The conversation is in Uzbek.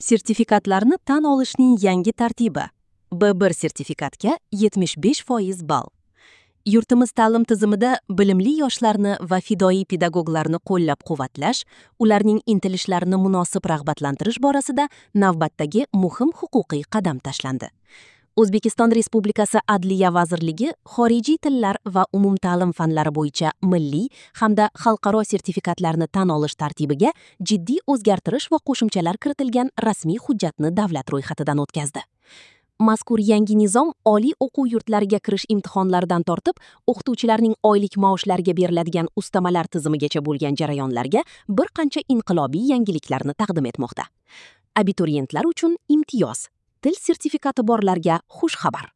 Sertifikatlarni tan olishning yangi tartibi. B1 sertifikatga 75% ball. Yurtimiz ta'lim tizimida bilimli yoshlarni va fidoyi pedagoglarni qo'llab-quvvatlash, ularning intilishlarini munosib rag'batlantirish borasida navbatdagi muhim huquqiy qadam tashlandi. O'zbekiston Respublikasi Adliya vazirligi xorijiy tillar va umumta'lim fanlari bo'yicha milliy hamda xalqaro sertifikatlarni tan olish tartibiga jiddiy o'zgartirish va qo'shimchalar kiritilgan rasmiy hujjatni davlat ro'yxatidan o'tkazdi. Mazkur yangi nizom oliy o'quv yurtlariga kirish imtihonlaridan tortib, o'qituvchilarning oylik maoshlariga beriladigan ustamalar tizimigacha bo'lgan jarayonlarga bir qancha inqilobiy yangiliklarni taqdim etmoqda. Abituriyentlar uchun imtiyoz. Til sertifikati borlarga xush xabar.